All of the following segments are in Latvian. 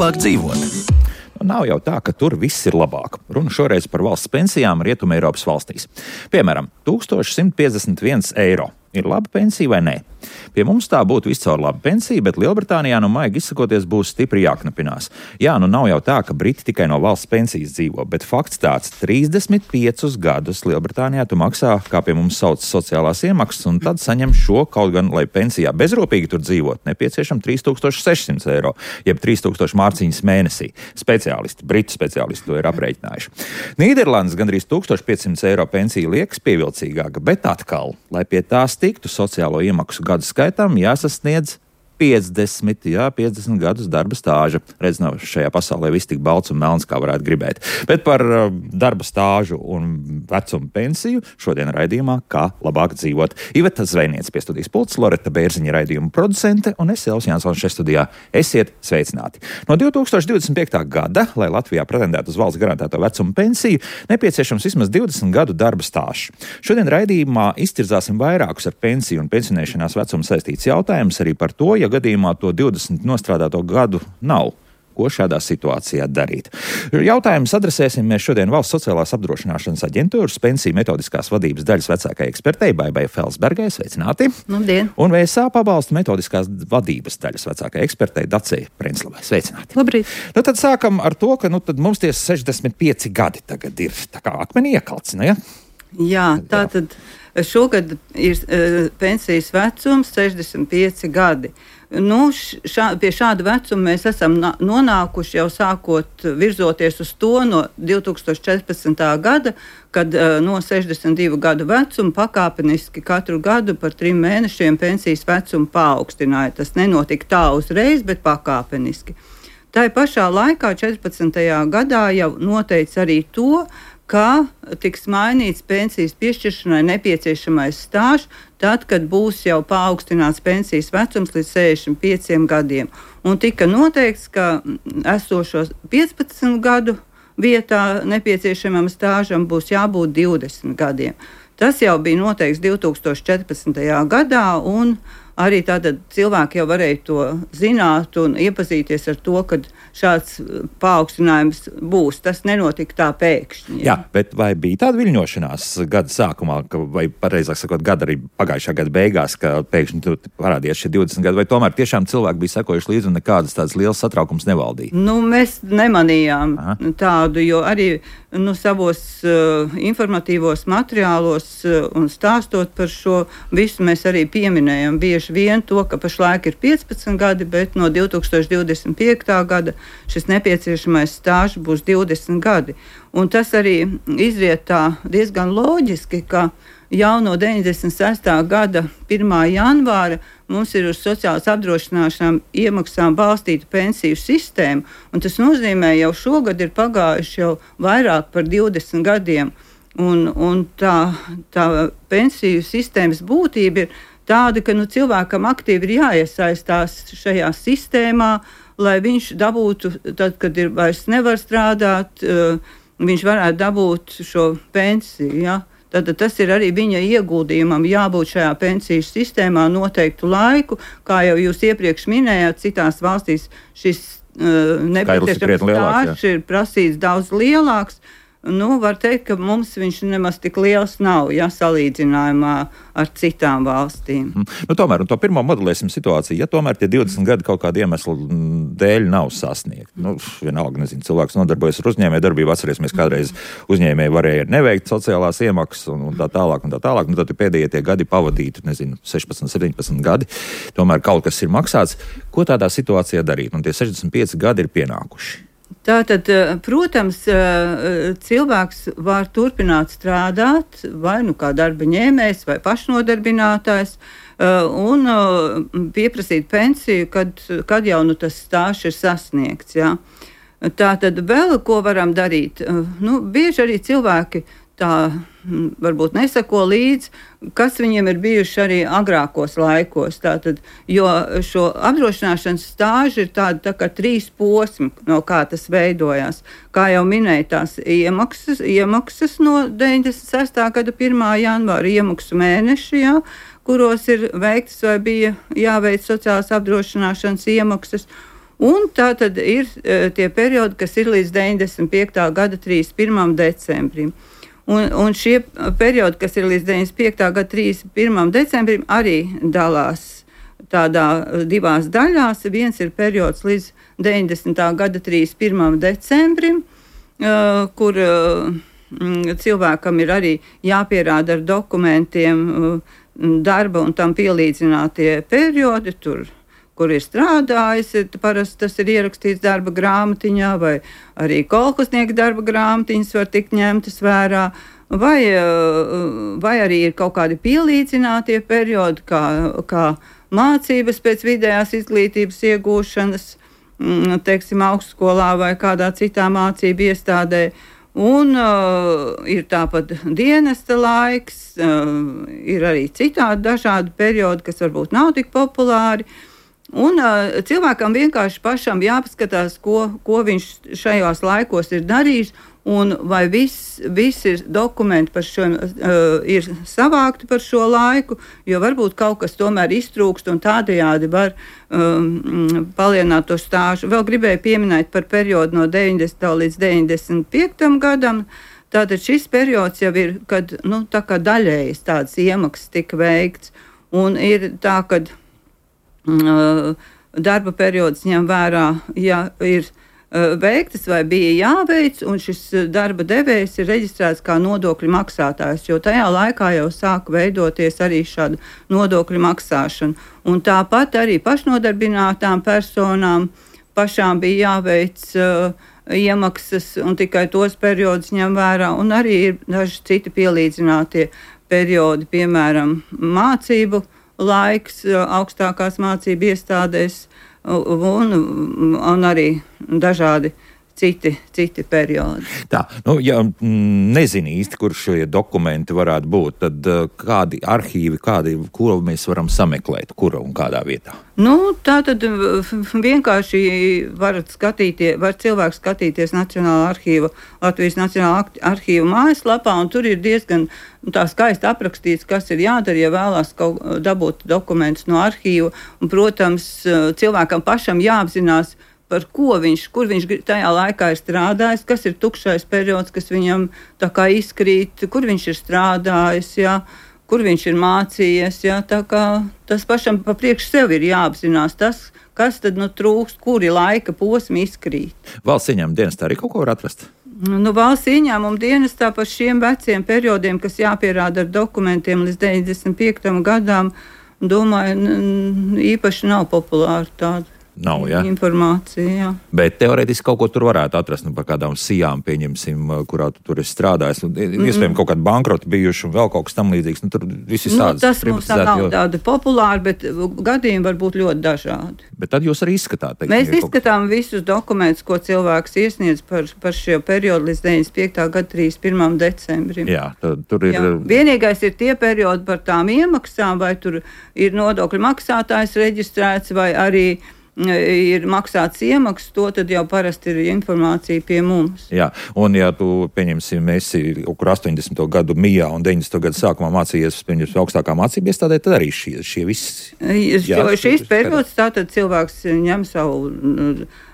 labāk dzīvot. Nav jau tā, ka tur viss ir labāk. Runa šoreiz par valsts pensijām Rietumeiropas valstīs. Piemēram, 1151 eiro. Ir laba pensija vai nē? Pie mums tā būtu viscaur laba pensija, bet Lielbritānijā, maigi izsakoties, būs stipri jāknapinās. Jā, nav jau tā, ka Briti tikai no valsts pensijas dzīvo, bet fakts tāds: 35 gadus Lielbritānijā tu maksā, kā pie mums sauc, sociālās iemaksas, un tad saņem šo, kaut gan, lai pensijā bezrūpīgi tur dzīvot, nepieciešam 3600 eiro, jeb 3000 mārciņas mēnesī. Britu speciālisti to ir aprēķinājuši. Nīderlandes gandrīz 1500 eiro pensija liekas pievilcīgāka, bet atkal, lai pie tās tiktu, sociālo iemaksu gadu skaitam jāsasniedz 50 gadus darba stāža. Redz, nav šajā pasaulē viss tik balts un melns, kā varētu gribēt. Bet par darba stāžu un vecumu pensiju šodien raidījumā Kā labāk dzīvot. Iveta Zvejniece pie studijas pults, Loreta Bērziņa raidījuma producente un es, Elvis Jansons, šeit studijā. Esiet sveicināti. No 2025. gada, lai Latvijā pretendētu uz valsts garantēto vecumu pensiju, nepieciešams vismaz 20 gadu darba stāžs. Šodien raidījumā izcirzāsim vairākus ar pensiju un pensionēšanās vecumu saistīts jautājumus arī par to, ja gadījumā to 20 nostrādāto gadu nav. Ko šādā situācijā darīt? Jautājumus adresēsim mēs šodien Valsts sociālās apdrošināšanas aģentūras pensiju metodiskās vadības daļas vecākajai ekspertei Baibai Felsbergai. Sveicināti! Labdien! Un VSA pabalstu metodiskās vadības daļas vecākajai ekspertei Dacei Prenslavai. Sveicināti! Labrīt! Tad sākam ar to, ka tad mums tie 65 gadi tagad ir tā kā akmenī iekalts, ne? Jā, tātad šogad ir pensijas vecums 65 gadi. Pie šāda vecuma mēs esam nonākuši jau sākot virzoties uz to no 2014. gada, kad no 62 gadu vecuma pakāpeniski katru gadu par 3 mēnešiem pensijas vecumu paaugstināja. Tas nenotika tā uzreiz, bet pakāpeniski. Tā pašā laikā, 14. gadā, jau noteica arī to, kā tiks mainīts pensijas piešķiršanai nepieciešamais stāžs, tad, kad būs jau paaugstināts pensijas vecums līdz 65 gadiem. Un tika noteikts, ka esošos 15 gadu vietā nepieciešamam stāžam būs jābūt 20 gadiem. Tas jau bija noteikts 2014. gadā, un arī tātad cilvēki jau varēja to zināt un iepazīties ar to, ka šāds paaugstinājums būs. Tas nenotika tā pēkšņi. Jā, bet vai bija tāda viļņošanās gada sākumā, vai pareizāk sakot, gada arī pagājušā gada beigās, ka pēkšņi tur parādījās šie 20 gadi, vai tomēr tiešām cilvēki bija sekojuši līdzi un nekādas tādas liels satraukums nevaldīja? Mēs nemanījām tādu, jo arī savos informatīvos materiālos un stāstot par šo visu mēs arī pieminējam bieži vien to, ka pašlaik ir 15 gadi, bet no 2025. gada šis nepieciešamais stāžs būs 20 gadi. Un tas arī izriet tā diezgan loģiski, ka jau no 96. gada 1. janvāra mums ir uz sociālās apdrošināšanām iemaksām balstīta pensiju sistēma, un tas nozīmē, jau šogad ir pagājuši jau vairāk par 20 gadiem, un tā pensiju sistēmas būtība ir tāda, ka cilvēkam aktīvi ir jāiesaistās šajā sistēmā, lai viņš dabūtu, tad, kad vairs nevar strādāt, viņš varētu dabūt šo pensiju. Ja? Tad tas ir arī viņa ieguldījumam jābūt šajā pensiju sistēmā noteiktu laiku. Kā jau jūs iepriekš minējāt, citās valstīs šis nepieciešams stāžs ir prasīts daudz lielāks. Var teikt, ka mums viņš nemaz tik liels nav, salīdzinājumā ar citām valstīm. Tomēr, un to pirmo modelēsim situāciju, ja tomēr tie 20 gadi kaut kāda iemesla dēļ nav sasniegti. Vienalga, cilvēks nodarbojas ar uzņēmējdarbību, atcerēsimies, kādreiz uzņēmēji varēja neveikt sociālās iemaksas un tā tālāk. Tad pēdējie tie gadi pavadīti, 16, 17 gadi, tomēr kaut kas ir maksāts. Ko tādā situācijā darīt? Un tie 65 gadi ir pienākuši. Tātad, protams, cilvēks var turpināt strādāt vai kā darba ņēmējs vai pašnodarbinātājs un pieprasīt pensiju, kad jau tas stāžs ir sasniegts. Ja? Tātad vēl ko varam darīt? Bieži arī cilvēki tā varbūt nesako līdzi, kas viņiem ir bijuši arī agrākos laikos. Tātad, jo šo apdrošināšanas stāžu ir tā kā 3 posmi, no kā tas veidojās. Kā jau minēju, tās iemaksas no 96. gada 1. janvāra iemaksu mēneši, kuros ir veiktas vai bija jāveic sociālās apdrošināšanas iemaksas. Un tā tad ir tie periodi, kas ir līdz 95. gada 31. decembrim. Un šie periodi, kas ir līdz 95. gada 31. decembrim, arī dalās tādā divās daļās. Viens ir periods līdz 90. gada 31. decembrim, kur cilvēkam ir arī jāpierāda ar dokumentiem darba un tam pielīdzinātie periodi, kur ir strādājis. Parasti tas ir ierakstīts darba grāmatiņā, vai arī kolhoznieka darba grāmatiņas var tikt ņemtas vērā, vai arī ir kaut kādi pielīdzinātie periodi, kā mācības pēc vidējās izglītības iegūšanas, teiksim, augstskolā vai kādā citā mācību iestādē. Un ir tāpat dienesta laiks, ir arī citādi dažādi periodi, kas varbūt nav tik populāri. Un cilvēkam vienkārši pašam jāpaskatās, ko viņš šajos laikos ir darījis, un vai visi dokumenti par šo ir savākti par šo laiku, jo varbūt kaut kas tomēr iztrūkst un tādējādi var palielināt to stāžu. Vēl gribēju pieminēt par periodu no 90. līdz 95. gadam. Tātad šis periods jau ir, kad tā kā daļējas tādas iemaksas tika veikts, un ir tā, kad darba periods ņem vērā, ja ir veiktas vai bija jāveic, un šis darba devējs ir reģistrēts kā nodokļu maksātājs, jo tajā laikā jau sāk veidoties arī šāda nodokļu maksāšana. Un tāpat arī pašnodarbinātām personām pašām bija jāveic iemaksas, un tikai tos periodus ņem vērā, un arī ir daži citi pielīdzinātie periodi, piemēram, mācību laiks augstākās mācību iestādēs un arī dažādi citi periodi. Tā, ja nezinu īsti, kur šie dokumenti varētu būt, tad kādi arhīvi, kuru mēs varam sameklēt, kura un kādā vietā? Tā tad vienkārši var cilvēks skatīties Latvijas Nacionālā arhīva mājaslapā, un tur ir diezgan tā skaisti aprakstīts, kas ir jādara, ja vēlās dabūt dokumentus no arhīva. Un, protams, cilvēkam pašam jāapzinās, kur viņš tajā laikā ir strādājis, kas ir tukšais periods, kas viņam tā kā izkrīt, kur viņš ir strādājis, kur viņš ir mācījies. Tā kā tas pašam pa priekš sev ir jāapzinās tas, kas tad trūkst, kuri laika posmi izkrīt. Valsts ieņēmuma dienestā arī kaut ko var atrast? Valsts ieņēmuma dienestā par šiem veciem periodiem, kas jāpierāda ar dokumentiem līdz 95. gadām, domāju, īpaši nav populāri tāda. Nav, informācija, jā. Bet teorētiski kaut ko tur varētu atrast, par kādām sijām, pieņemsim, kurā tu tur esi strādājis. Iespējams, kaut kādi bankroti bijuši un vēl kaut kas tam līdzīgs. Tur viss ir tāds. Tas mums nav tāda populāra, bet gadījumi var būt ļoti dažādi. Bet tad jūs arī izskatāt? Mēs izskatām visus dokumentus, ko cilvēks iesniedz par šo periodu līdz 95. gada 31. decembrim. Jā, tur ir. Jā. Vienīgais ir tie periodi par tām iemaksām, vai tur ir nodokļu maksātājs reģistrēts, vai arī ir maksāts iemaksas, to tad jau parasti ir informācija pie mums. Jā, un ja tu, pieņemsim, esi kur 80. gadu mijā un 90. gadu sākumā mācījies, pieņemsim, augstākā mācība iestādē, tad arī šie visi. Šīs periods, tātad cilvēks ņem savu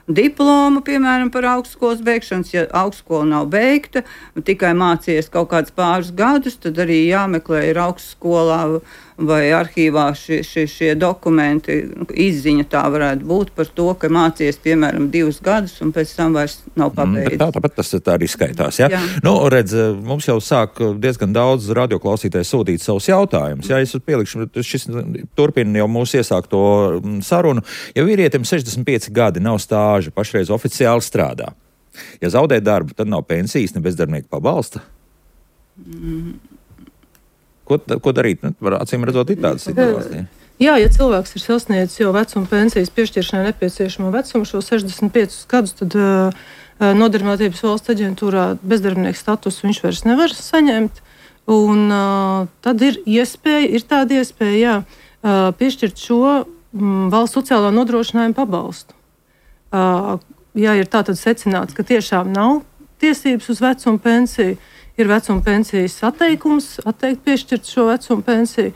diplomu, piemēram, par augstskolas beigšanas. Ja augstskola nav beigta, tikai mācījies kaut kādus pāris gadus, tad arī jāmeklē ir augstskolā vai arhīvā šie dokumenti. Izziņa tā varētu būt par to, ka mācījies, piemēram, 2 gadus un pēc tam vairs nav pabeidzis. Tāpat tas tā arī skaitās, ja? Jā. Redz, mums jau sāk diezgan daudz radioklausītāji sūtīt savus jautājumus. Ja es pielikšu, šis turpina jau mūsu iesākto sarunu. Ja vīrietim 65 gadi nav stāža, pašreiz oficiāli strādā. Ja zaudē darbu, tad nav pensijas, ne bezdarbnieku pabalsta. Ko darīt? Acīm redzot, ir tāda situācija. Jā, ja cilvēks ir sasniedzis jau vecuma pensijas piešķiršanai nepieciešamo vecumu, šo 65 gadus, tad Nodarbinātības valsts aģentūrā bezdarbnieka statusu viņš vairs nevar saņemt. Un tad ir tāda iespēja, piešķirt šo valsts sociālā nodrošinājuma pabalstu. Ja ir tātad secināts, ka tiešām nav tiesības uz vecuma pensiju, ir vecuma pensijas atteikt piešķirt šo vecuma pensiju,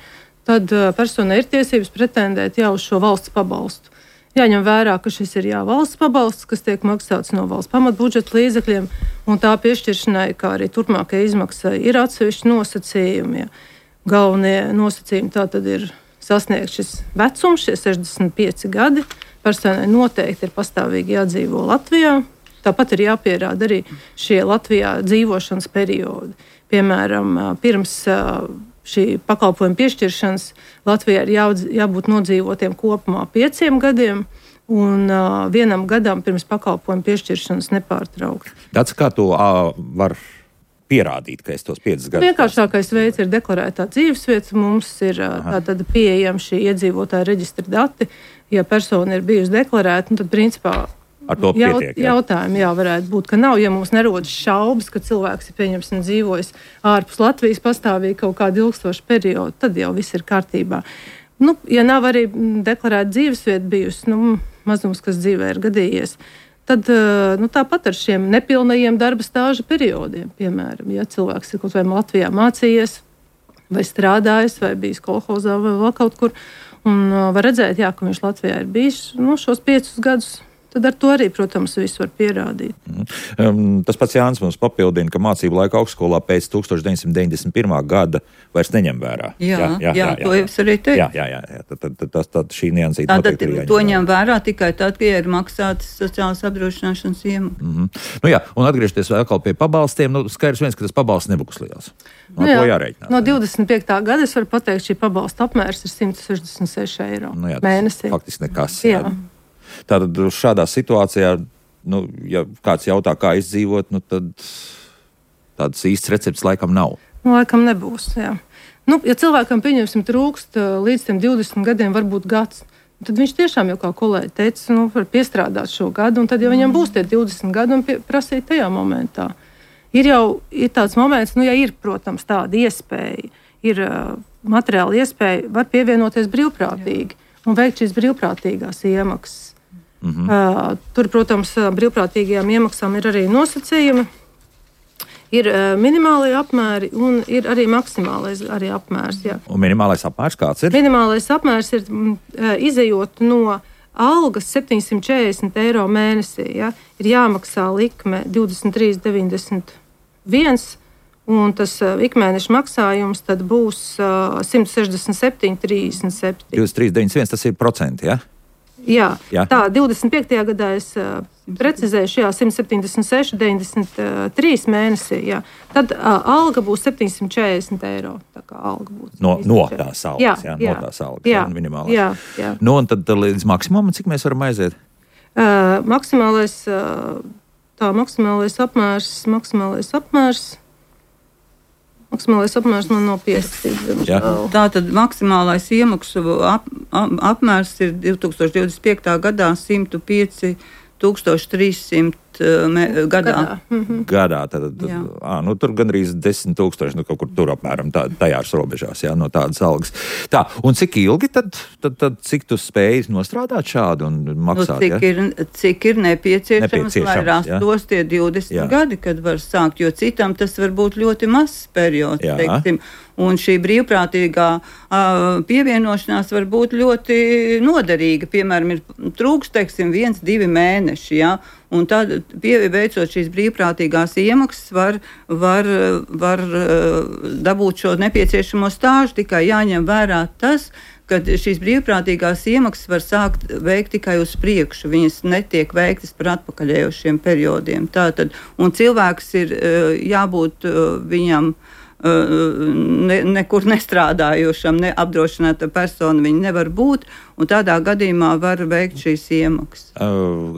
tad personai ir tiesības pretendēt jau uz šo valsts pabalstu. Jāņem vērā, ka šis ir valsts pabalsts, kas tiek maksāts no valsts pamatbudžeta līdzekļiem, un tā piešķiršanai, kā arī turpmākajai izmaksai, ir atsevišķi nosacījumi. Galvenie nosacījumi tā tad ir sasniegt šis vecums, šie 65 gadi. Personai noteikti ir pastāvīgi jādzīvo Latvijā. Tāpat ir jāpierāda arī šie Latvijā dzīvošanas periodi. Piemēram, pirms šī pakalpojuma piešķiršanas Latvijā ir jābūt nodzīvotiem kopumā 5 gadiem un 1 gadam pirms pakalpojuma piešķiršanas nepārtraukti. Tāds kā to var pierādīt, ka es tos 5 gadus. Vienkāršākais veids ir deklarētā dzīvesvieta. Mums ir tātad pieejami šī iedzīvotāja reģistra dati. Ja persona ir bijusi deklarēta, tad principā ar to pietiek. Jautājumi varētu būt, ka nav, ja mums nerodas šaubas, ka cilvēks ir pieņemsim dzīvojis ārpus Latvijas pastāvīgi kaut kādu ilgstošu periodu, tad jau viss ir kārtībā. Ja nav arī deklarēta dzīvesvieta bijusi, mazums, kas dzīvē ir gadījies, tad tāpat ar šiem nepilnajiem darba stāža periodiem, piemēram, ja cilvēks ir kaut vai Latvijā mācījies, vai strādājis, vai bijis kolhozā, vai vēl kaut kur, un var redzēt, ka viņš Latvijā ir bijis šos 5 gadus, tad ar to arī, protams, visu var pierādīt. Tas pats Jānis mums papildina, ka mācību laika augstskolā pēc 1991. gada vairs neņem vērā. Jā, to jau es arī teicu. Jā. Tad šī niansīta noteikti ir jāņem vērā. To ņem vērā tikai tad, ja ir maksātas sociālās apdrošināšanas iemaksas. Un atgriežoties vēl pie pabalstiem, skaidrs viens, ka tas pabalsts nebūs liels. To jārēķinās. No 25. gada es varu pateikt, šī pabalsta apmērs ir 166 eiro mēnesī. Faktiski nekas. Tātad šādā situācijā, ja kāds jautā, kā izdzīvot, tad tādas īstas receptes laikam nav. Laikam nebūs, jā. Ja cilvēkam, pieņemsim, trūkst līdz tiem 20 gadiem, varbūt gads, tad viņš tiešām, jau kā kolēģi teica, var piestrādāt šo gadu, un tad, ja viņam būs tie 20 gadi, un prasīt tajā momentā. Ir tāds moments, ja ir, protams, tāda iespēja, ir materiāla iespēja, var pievienoties brīvprātīgi un veikt šīs brīvprātīgās iemaksas. Tur, protams, brīvprātīgajām iemaksām ir arī nosacījumi, ir minimālie apmēri un ir arī maksimālais apmērs. Jā. Un minimālais apmērs kāds ir? Minimālais apmērs ir izejot no algas 740 eiro mēnesī. Ja, ir jāmaksā likme 23,91 un tas ikmēneša maksājums tad būs 167,37. 23,91 tas ir procenti, ja? Jā. Tā 25. gadā es precizēšu, 176,93 mēnesī. Jā. Tad alga būs 740 eiro. Tā kā alga būs no tās algas, no tās algas, minimālās. Jā. Un tad līdz maksimumam, cik mēs varam aiziet? Maksimālais apmērs man nav pierakstīts. Tātad maksimālais iemaksu apmērs ir 2025. gadā 105,300 gadā. Gadā. Tur gandrīz 10,000, kaut kur tur apmēram tajās robežās, no tādas algas. Tā, un cik ilgi tad cik tu spēji nostrādāt šādu un maksāt? Cik ir nepieciešams, lai rastos tie 20 gadi, kad var sākt, jo citam tas var būt ļoti mazs periods, teiksim. Un šī brīvprātīgā pievienošanās var būt ļoti noderīga. Piemēram, ir trūkst, 1-2 mēneši, un tad, veicot šīs brīvprātīgās iemaksas, var dabūt šo nepieciešamo stāžu. Tikai jāņem vērā tas, ka šīs brīvprātīgās iemaksas var sākt veikt tikai uz priekšu. Viņas netiek veiktas par atpakaļējošiem periodiem. Tātad, un cilvēks ir jābūt viņam nekur nestrādājošam, neapdrošināta persona viņa nevar būt, un tādā gadījumā var veikt šīs iemaksas.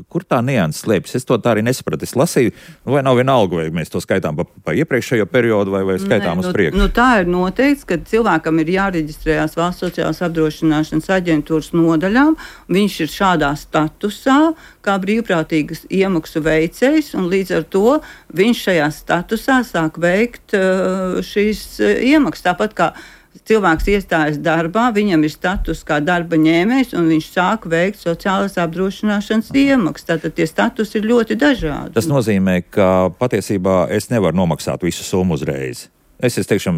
Kur tā nianses slēpjas? Es to tā arī nesapratu. Es lasīju, vai nav vienalga, vai mēs to skaitām pa iepriekšējo periodu, vai skaitām uz priekšu? Tā ir noteikts, ka cilvēkam ir jāreģistrējās Valsts sociālās apdrošināšanas aģentūras nodaļām. Viņš ir šādā statusā, kā brīvprātīgas iemaksu veicējs, un līdz ar to viņš šajā statusā sāk veikt šīs iemaksas. Tāpat kā cilvēks iestājas darbā, viņam ir status kā darba ņēmējs, un viņš sāk veikt sociālās apdrošināšanas iemaksas. Tātad tie statusi ir ļoti dažādi. Tas nozīmē, ka patiesībā es nevaru nomaksāt visu summu uzreiz. Es teikšu,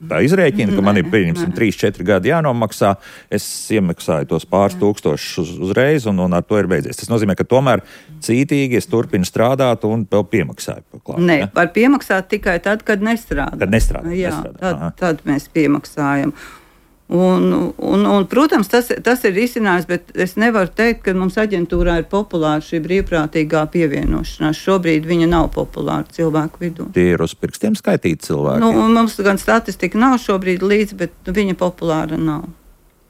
tā izrēķinu, ka man ir, pieņemsim, 3-4 gadi jānomaksā, es iemaksāju tos pāris tūkstošus uzreiz, un ar to ir beidzies. Tas nozīmē, ka tomēr cītīgi es turpinu strādāt un vēl piemaksāju. Nē, var piemaksāt tikai tad, kad nestrādā. Kad nestrādā. Jā, tad mēs piemaksājam. Un, protams, tas ir risinājums, bet es nevaru teikt, ka mums aģentūrā ir populāra šī brīvprātīgā pievienošanās. Šobrīd viņa nav populāra cilvēku vidū. Tie ir uz pirkstiem skaitīti cilvēki? Mums gan statistika nav šobrīd līdz, bet viņa populāra nav.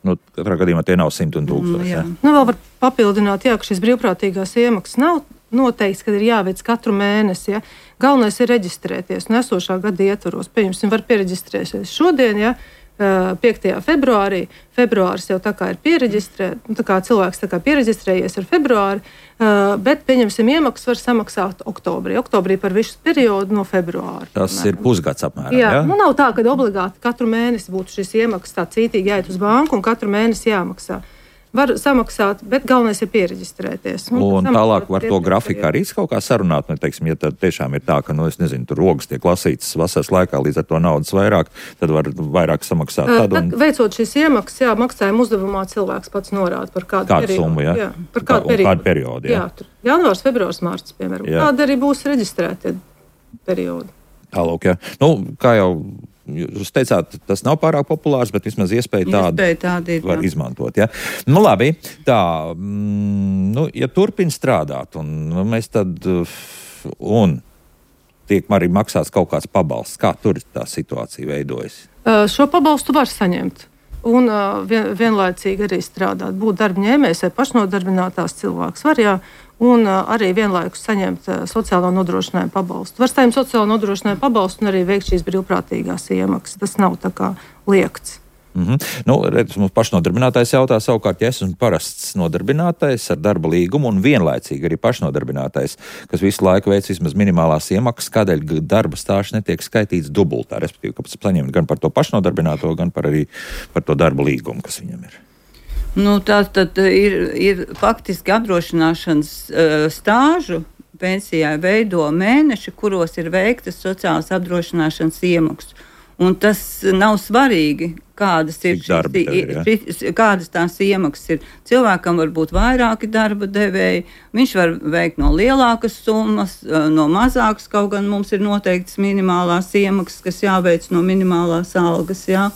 Katrā gadījumā tie nav 100 un 1000. Jā. Vēl var papildināt, ka šīs brīvprātīgās iemaksas nav noteikts, kad ir jāveic katru mēnesi. Ja? Galvenais ir reģistrēties un esošā gada ietvaros. Pieņemsim, var piereģistrēties šodien, ja? 5. februārī. Februāris jau tā kā ir piereģistrēts, tā kā cilvēks tā kā piereģistrējies ar februāri, bet, pieņemsim, iemaksas var samaksāt oktobrī. Oktobrī par visu periodu no februāra. Tas ir pusgads apmēram, jā? Ja? Nav tā, ka obligāti katru mēnesi būtu šis iemaksas tā cītīgi jāiet uz banku un katru mēnesi jāmaksā. Var samaksāt, bet galvenais ir piereģistrēties. Un tālāk var to grafiku arī kaut kā sarunāt. Teiksim, ja tad tiešām ir tā, ka, es nezinu, tur rogas tiek lasītas vasaras laikā, līdz ar to naudas vairāk, tad var vairāk samaksāt. Veicot šīs iemaksas, maksājuma uzdevumā cilvēks pats norāda par kādu periodu. Summu, jā, par kādu periodu. Jā, janvārs, februārs, mārts, piemēram. Kāda arī būs reģistrētie periodi. Tālāk, jā. Kā jau jūs teicāt, tas nav pārāk populārs, bet vismaz iespēja tādu var izmantot. Ja? Labi, tā, ja turpin strādāt, un mēs tad, un tiek arī maksāts kaut kāds pabalsts, kā tur tā situācija veidojas? Šo pabalstu var saņemt. Un vienlaicīgi arī strādāt, būt darba ņēmējs vai pašnodarbinātās cilvēks var, jā, un arī vienlaikus saņemt sociālo nodrošinājumu pabalstu. Var saņemt sociālo nodrošinājumu pabalstu un arī veikt šīs brīvprātīgās iemaksas. Tas nav tā kā liekts. Redz, mums pašnodarbinātais jautā savukārt, ja esmu parasts nodarbinātais ar darba līgumu un vienlaicīgi arī pašnodarbinātais, kas visu laiku veic vismaz minimālās iemaksas, kādēļ darba stāsts netiek skaitīts dubultā, respektīvi, kāpēc saņemt gan par to pašnodarbināto, gan arī par to darba līgumu, kas viņam ir. Tas tad ir faktiski apdrošināšanas stāžu pensijai veido mēneši, kuros ir veiktas sociālās apdrošināšanas iemaksas. Un tas nav svarīgi, kādas tās iemaksas ir. Cilvēkam var būt vairāki darba devēji, viņš var veikt no lielākas summas, no mazākas, kaut gan mums ir noteikts minimālās iemaksas, kas jāveic no minimālās algas, jā,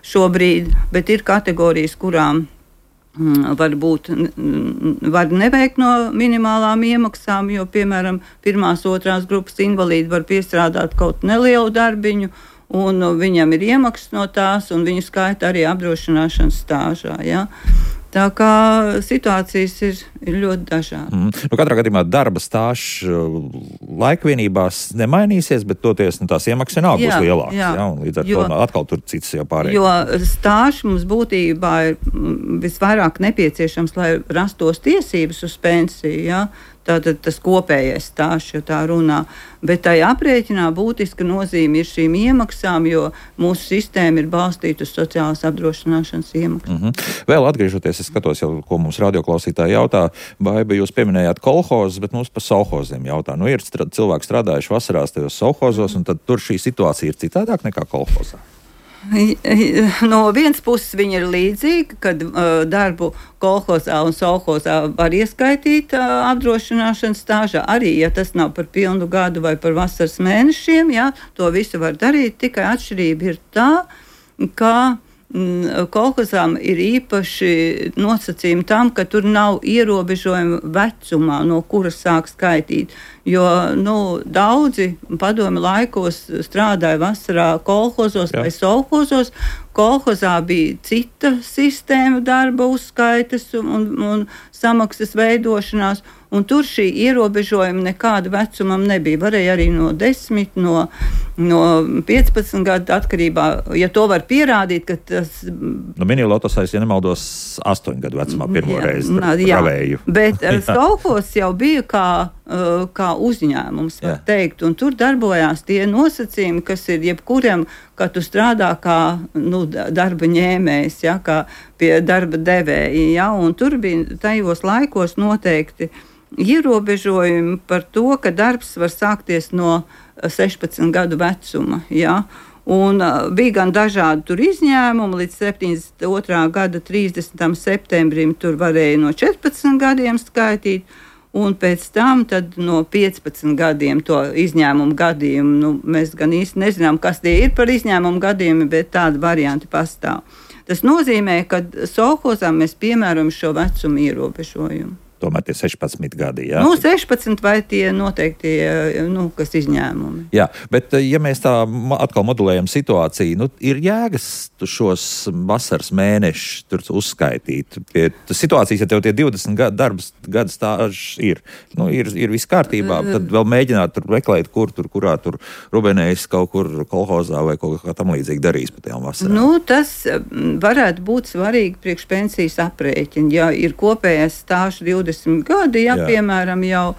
šobrīd, bet ir kategorijas, kurām var neveikt no minimālām iemaksām, jo, piemēram, 1., 2. grupas invalīdi var piestrādāt kaut nelielu darbiņu, un viņam ir iemaksas no tās, un viņu skaita arī apdrošināšanas stāžā. Ja? Tā kā situācijas ir ļoti dažādas. Katrā gadījumā darba stāžs laikvienībās nemainīsies, bet toties tās iemaksas vienalga būs lielākas. Ja? Un līdz ar to atkal tur cits jau pārējais. Jo stāžs mums būtībā ir visvairāk nepieciešams, lai rastos tiesības uz pensiju. Ja? Tātad tas kopējais stāsts, jo tā runā. Bet tai aprēķinā būtiska nozīme ir šīm iemaksām, jo mūsu sistēma ir balstīta uz sociālās apdrošināšanas iemaksām. Vēl atgriežoties, es skatos jau, ko mums radioklausītāji jautā. Baiba, jūs pieminējāt kolhozus, bet mums par sovhoziem jautā. Ir cilvēki strādājuši vasarās tajos sovhozos, un tad tur šī situācija ir citādāk nekā kolhozā. No vienas puses viņa ir līdzīga, kad darbu kolhozā un sovhozā var ieskaitīt apdrošināšanas stāžā. Arī, ja tas nav par pilnu gadu vai par vasaras mēnešiem, jā, to visu var darīt. Tikai atšķirība ir tā, ka kolhozām ir īpaši nosacījumi tam, ka tur nav ierobežojumi vecumā, no kura sāk skaitīt. Jo daudzi padomi laikos strādāja vasarā kolhozos vai sovhozos. Kolhozā bija cita sistēma darba uzskaites un samaksas veidošanās, un tur šī ierobežojuma nekāda vecumam nebija. Varēja arī no 10, no 15 gadu atkarībā, ja to var pierādīt, ka tas... Minilotosais, ja nemaldos, 8 gadu vecumā pirmo reizi pravēju. Bet sovhozs jau bija kā uzņēmums, var teikt, un tur darbojās tie nosacījumi, kas ir jebkuram, ka tu strādā kā darba ņēmējs, ja, kā pie darba devēja, ja, un tur bija tajos laikos noteikti ierobežojumi par to, ka darbs var sākties no 16 gadu vecuma, ja. Un bija gan dažādi tur izņēmumi, līdz 72. gada 30. septembrim tur varēja no 14 gadiem skaitīt, un pēc tam tad no 15 gadiem to izņēmumu gadījumu. Nu, mēs gan īsti nezinām, kas tie ir par izņēmumu gadījumi, bet tādi varianti pastāv. Tas nozīmē, ka sovhozām mēs piemēram šo vecumu ierobežojumu. Tomēr tie 16 gadi, jā? 16 vai tie noteiktie, kas izņēmumi. Jā, bet ja mēs tā atkal modulējam situāciju, ir jēgas šos vasaras mēnešus tur uzskaitīt. Pie situācijas, ja tev tie 20 gadu stāžs ir viss kārtībā, tad vēl mēģināt tur meklēt, kurā tur Rubenējs kaut kur kolhozā vai kaut kā tam līdzīgi darīs pa tajām vasarām. Tas varētu būt svarīgi priekš pensijas aprēķina. Ja ir kopējais stāžs 20 gadi, piemēram, jau,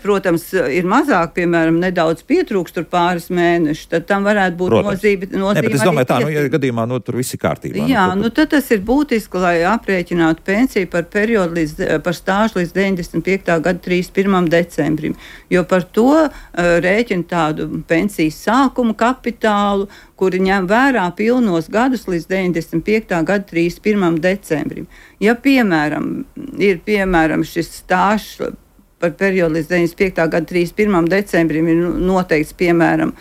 protams, ir mazāk, piemēram, nedaudz pietrūkst tur pāris mēnešus, tad tam varētu būt nozīme. Ne, bet es domāju tā, ja gadījumā, tur viss ir kārtībā. Jā, tad tas ir būtiski, lai aprēķinātu pensiju par periodu par stāžu līdz 95. gada 31. decembrim, jo par to rēķina tādu pensijas sākumu kapitālu, kuri ņem vērā pilnos gadus līdz 95. gada 31. decembrim. Ja, piemēram, ir šis stāžs par periodu līdz 95. gada 31. decembrim ir noteikts, piemēram,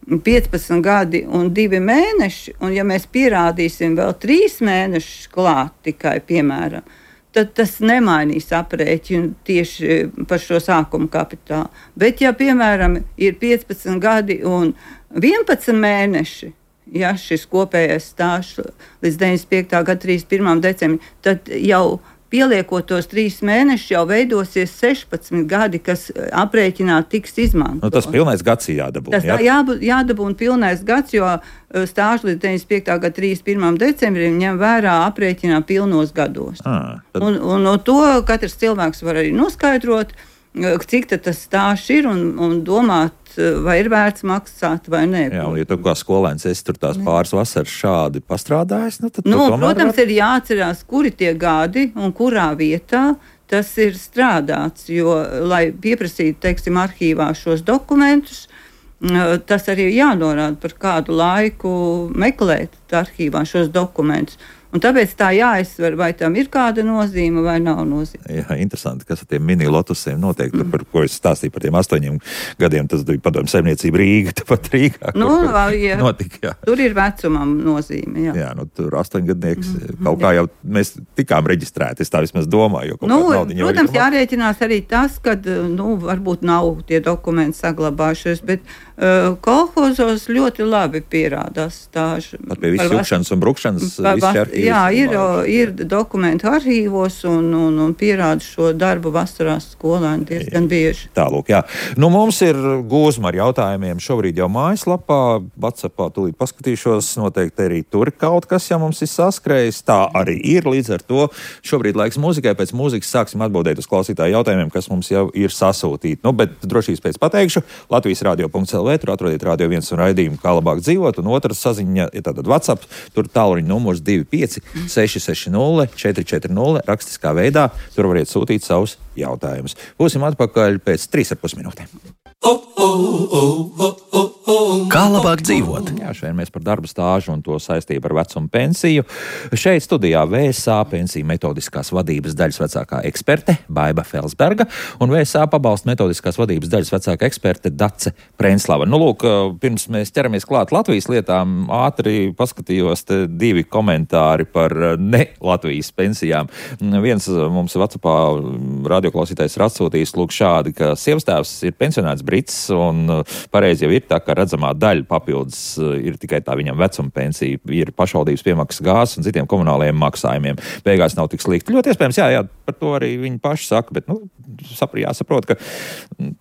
15 gadi un 2 mēneši, un ja mēs pierādīsim vēl 3 mēnešus klāt tikai, piemēram, tad tas nemainīs aprēķinu tieši par šo sākuma kapitālu. Bet, ja, piemēram, ir 15 gadi un 11 mēneši, ja šis kopējais stāžs līdz 95. gada 31. decembrim, tad jau pieliekot tos 3 mēnešus, jau veidosies 16 gadi, kas aprēķināt tiks izmantot. Tas pilnais gads jādabūna. Tas jādabūna pilnais gads, jo stāžu līdz 95. gada 31. decembrim ņem vērā aprēķinā pilnos gados. Un no to katrs cilvēks var arī noskaidrot, cik tas stāžs ir un domāt, vai ir vērts maksāt vai nē. Jā, un ja tu kā skolēns esi tur tās pāris vasaras šādi pastrādājis, tad protams, ir jāatcerās, kuri tie gadi un kurā vietā tas ir strādāts, jo, lai pieprasītu, teiksim, arhīvā šos dokumentus, tas arī jānorāda, par kādu laiku meklēt arhīvā šos dokumentus. Un tāpēc tā jāizsver, vai tam ir kāda nozīme vai nav nozīme. Jā, interesanti, kas ar tiem mini-lotusiem notiek, par ko es stāstīju par tiem 8 gadiem, tas bija Padomju Saimniecība Rīga, tāpat Rīgā. Notika, jā. Tur ir vecumam nozīme, jā. Jā, tur 8-gadnieks, kaut kā jau mēs tikām reģistrēti, es tā vismaz domāju, jo kaut kā naudiņa jau ir. Protams, jārēķinās arī tas, kad, varbūt nav tie dokumenti saglabājušies, bet kolhozos ļoti labi pierādās stāži. Pat pie visu jukšanas un brukšanas visi arhīvi. Jā, ir dokumentu arhīvos un pierāda šo darbu vasarās skolēni diezgan bieži. Tālūk, jā. Mums ir gūzma ar jautājumiem šobrīd jau mājaslapā, WhatsAppā tūlīt paskatīšos, noteikti arī tur kaut kas, ja mums ir saskrējis. Tā arī ir, līdz ar to šobrīd laiks mūzikai, pēc mūzikas sāksim atbildēt uz klausītāju jautājumiem, kas mums jau ir sasūtīti. Bet drošības pēc pateikšu, Latvijas radio.lv, tur atrodiet Radio 1 un raidījumu Kā labāk dzīvot, un otrs saziņa ir tātad WhatsApp, tur tālruņa numurs 25 660 440 rakstiskā veidā. Tur variet sūtīt savus jautājumus. Būsim atpakaļ pēc 3,5 minūtēm. Kā labāk dzīvot? Jā, šeit mēs par darba stāžu un to saistību ar vecumu pensiju. Šeit studijā VSA pensiju metodiskās vadības daļas vecākā eksperte Baiba Felsberga un VSA pabalstu metodiskās vadības daļas vecākā eksperte Dace Prenslava. Pirms mēs ķeramies klāt Latvijas lietām, ātri paskatījos 2 komentāri par ne Latvijas pensijām. Viens mums WhatsAppā radioklausītājs ir atsūtījis šādi, ka sievastēvs ir pensionēts brits un pareizi jau ir tā, ka redzamā daļa papildus ir tikai tā viņam vecuma pensija, ir pašvaldības piemaksas gāzes un citiem komunālajiem maksājumiem. Beigās nav tik slikti. Ļoti iespējams, jā, par to arī viņi paši saka, bet jāsaprot, ka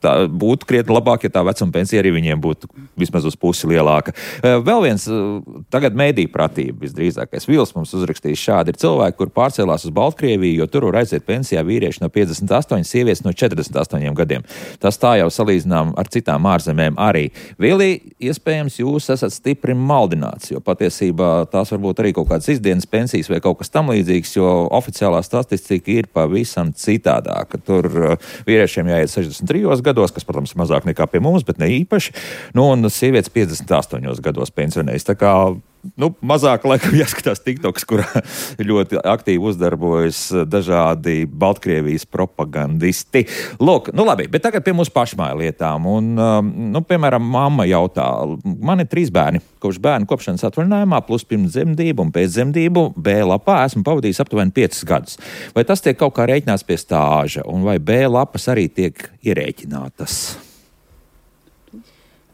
tā būtu krietni labāk, ja tā vecuma pensija arī viņiem būtu vismaz uz pusi lielāka. Vēl viens, tagad mēdīju pratība visdrīzākais. Vils mums uzrakstījis šādi: ir cilvēki, kur pārcēlās uz Baltkrieviju, jo tur var aiziet pensijā vīrieši no 58, sievietes no 48 gadiem. Tas tā jau salīdzinām ar citām ārzemēm arī. Vili, vai iespējams jūs esat stipri maldināts, jo patiesībā tās varbūt arī kaut kādas izdienas pensijas vai kaut kas tam līdzīgs, jo oficiālā statistika ir pavisam citādāka. Tur vīriešiem jāiet 63 gados, kas, protams, ir mazāk nekā pie mums, bet ne īpaši, un sievietes 58 gados pensionējas. Tā kā mazāk laikam jāskatās TikToks, kurā ļoti aktīvi uzdarbojas dažādi Baltkrievijas propagandisti. Lūk, labi, bet tagad pie mūsu pašmāju lietām. Un, piemēram, mamma jautā, man ir 3 bērni. Kopš bērnu kopšanas atvaļinājumā, plus pirms dzemdību un pēc dzemdību B lapā esmu pavadījis aptuveni 5 gadus. Vai tas tiek kaut kā rēķināts pie stāža, un vai B lapas arī tiek ierēķinātas?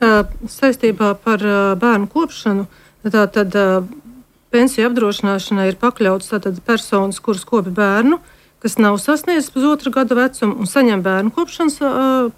Saistībā par bērnu kopšanu, tātad pensiju apdrošināšanai ir pakļauts tātad personas, kuras kopi bērnu, kas nav sasniedzis pusotru gada vecumu un saņem bērnu kopšanas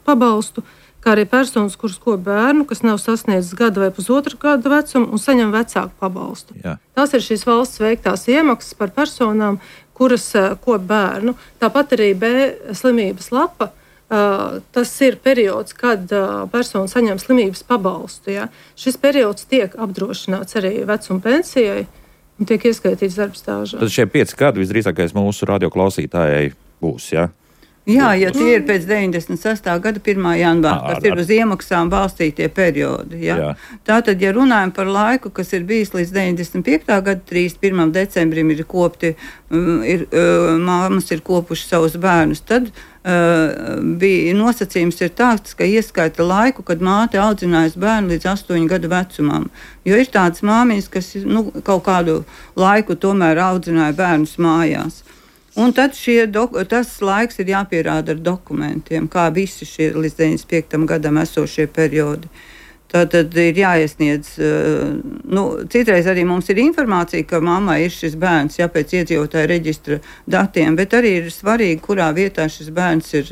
pabalstu, kā arī personas, kuras kopi bērnu, kas nav sasniedzis gada vai pusotru gada vecumu un saņem vecāku pabalstu. Jā. Tās ir šīs valsts veiktās iemaksas par personām, kuras kopi bērnu. Tāpat arī B slimības lapa. Tas ir periods, kad persona saņem slimības pabalstu. Ja? Šis periods tiek apdrošināts arī vecuma pensijai un tiek ieskaitīts darba stāžā. Tad šie 5 gadi visdrīzākais mūsu radioklausītājai būs, ja? Jā, ja tie ir pēc 96. gada 1. janvāra, kas ir uz iemaksām balstītie periodi. Ja? Jā. Tātad, ja runājam par laiku, kas ir bijis līdz 95. gada 31. decembrim ir kopti, māmas ir kopuši savus bērnus, tad bija nosacījums ir tāds, ka ieskaita laiku, kad māte audzinājusi bērnu līdz 8 gadu vecumam. Jo ir tādas māmiņas, kas kaut kādu laiku tomēr audzināja bērnus mājās. Un tad tas laiks ir jāpierāda ar dokumentiem, kā visi šie līdz 95. gadam esošie periodi. Tātad ir jāiesniedz, citreiz arī mums ir informācija, ka mammai ir šis bērns, pēc iedzīvotāja reģistra datiem, bet arī ir svarīgi, kurā vietā šis bērns ir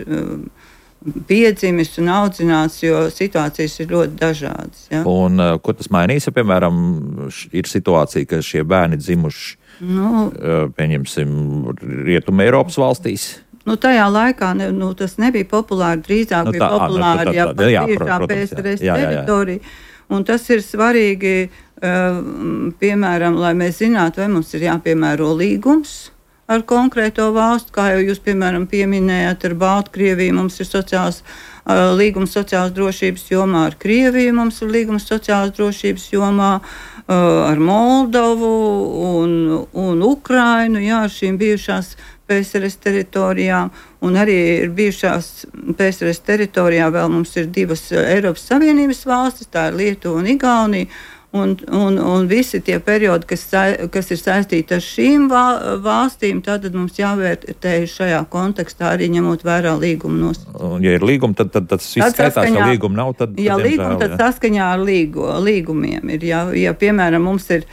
piedzimis un audzināts, jo situācijas ir ļoti dažādas. Ja? Un ko tas mainīs, ja, piemēram, ir situācija, ka šie bērni dzimuši, pieņemsim, Rietuma Eiropas valstīs? Tajā laikā tas nebija populāri, drīzāk bija populāri, bijušā PSRS teritorija. Un tas ir svarīgi, piemēram, lai mēs zinātu, vai mums ir jāpiemēro līgums ar konkrēto valstu, kā jau jūs, piemēram, pieminējāt ar Baltkrieviju, mums ir līgums sociālās drošības jomā, ar Krieviju mums ir līgums sociālās drošības jomā, ar Moldovu un Ukrainu, šīm bijušās PSRS teritorijām, un arī ir bijušās PSRS teritorijā vēl mums ir 2 Eiropas Savienības valstis, tā ir Lietuva un Igaunija, un visi tie periodi, kas ir saistīti ar šīm valstīm, tad mums jāvērtē šajā kontekstā arī ņemot vērā līguma nosacījumus. Ja ir līguma, tad tas viss skaitās, ja līguma nav, tad līguma, tad saskaņā ar līgumiem ir. Ja piemēram, mums ir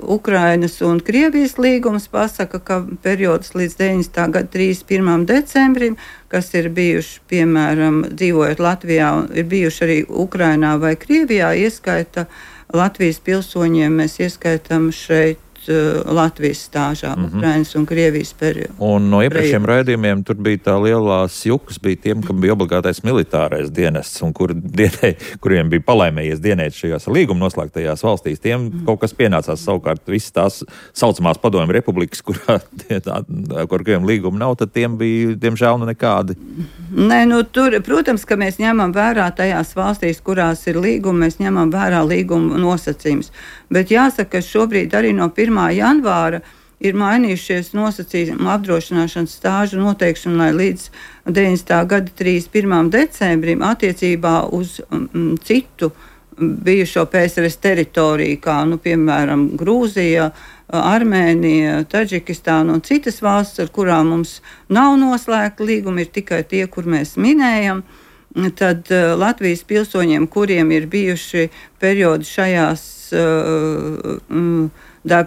Ukrainas un Krievijas līgums pasaka, ka periods līdz 90. gada 31. decembrim, kas ir bijuši, piemēram, dzīvojot Latvijā, ir bijuši arī Ukrainā vai Krievijā, ieskaita Latvijas pilsoņiem, mēs ieskaitām šeit Latvijas stāžā, Ukrainas un Krievijas periodu. Un no iepriekšējiem raidījumiem tur bija tā lielās jukas, bija tiem, kam bija obligātais militārais dienests, un kuriem bija palaimējies dienēt šajās līguma noslēgtajās valstīs, tiem kaut kas pienācās savukārt visas tās saucamās padomju republikas, kuriem līguma nav, tad tiem bija, diemžēl, nekādi. Nē, tur, protams, ka mēs ņemam vērā tajās valstīs, kurās ir līguma, mēs ņemam vērā līguma nosacījums. Bet jāsaka, ka šobrīd arī no 1. janvāra ir mainījušies nosacījumi apdrošināšanas stāžu noteikšanai līdz 90. gada 31. decembrim attiecībā uz citu bijušo PSRS teritoriju, kā, piemēram, Grūzija, Armēnija, Taģikistāna un citas valsts, ar kurām mums nav noslēgta līguma, ir tikai tie, kur mēs minējam. Tad Latvijas pilsoņiem, kuriem ir bijuši periodi šajās,